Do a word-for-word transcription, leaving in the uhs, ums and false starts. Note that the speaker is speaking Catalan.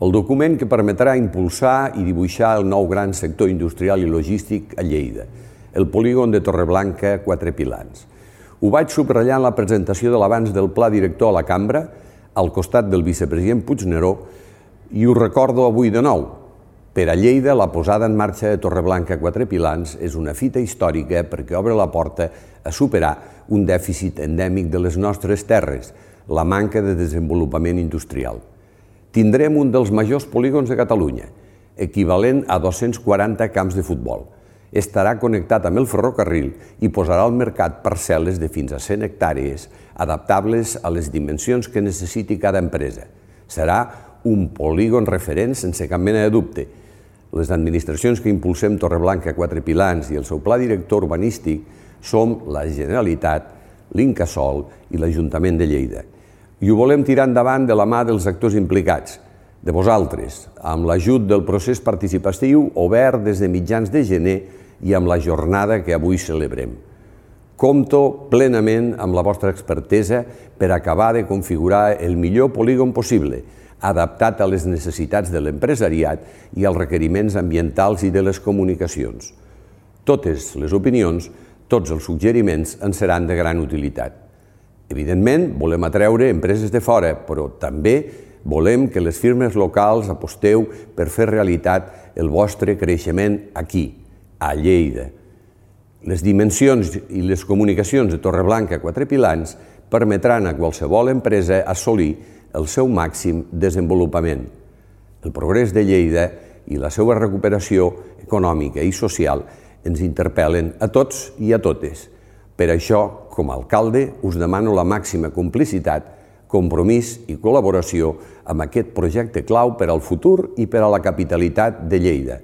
el document que permetrà impulsar i dibuixar el nou gran sector industrial i logístic a Lleida, el polígon de Torreblanca Quatre Pilans. Ho vaig subratllar en la presentació de l'avanç del pla director a la cambra, al costat del vicepresident Puigneró, i ho recordo avui de nou. Per a Lleida, la posada en marxa de Torreblanca Quatre Pilans és una fita històrica perquè obre la porta a superar un dèficit endèmic de les nostres terres, la manca de desenvolupament industrial. Tindrem un dels majors polígons de Catalunya, equivalent a dos-cents quaranta camps de futbol. Estarà connectat amb el ferrocarril i posarà al mercat parcel·les de fins a cent hectàrees, adaptables a les dimensions que necessiti cada empresa. Serà un polígon referent sense cap mena de dubte. Les administracions que impulsem Torreblanca Quatre Pilans i el seu pla director urbanístic som la Generalitat, l'Incasòl i l'Ajuntament de Lleida. I ho volem tirar endavant de la mà dels actors implicats, de vosaltres, amb l'ajut del procés participatiu obert des de mitjans de gener i amb la jornada que avui celebrem. Compto plenament amb la vostra expertesa per acabar de configurar el millor polígon possible, adaptat a les necessitats de l'empresariat i als requeriments ambientals i de les comunicacions. Totes les opinions, tots els suggeriments ens seran de gran utilitat. Evidentment, volem atreure empreses de fora, però també volem que les firmes locals aposteu per fer realitat el vostre creixement aquí, a Lleida. Les dimensions i les comunicacions de Torreblanca Quatre Pilans permetran a qualsevol empresa assolir el seu màxim desenvolupament. El progrés de Lleida i la seva recuperació econòmica i social ens interpel·len a tots i a totes. Per això, com a alcalde, us demano la màxima complicitat, compromís i col·laboració amb aquest projecte clau per al futur i per a la capitalitat de Lleida.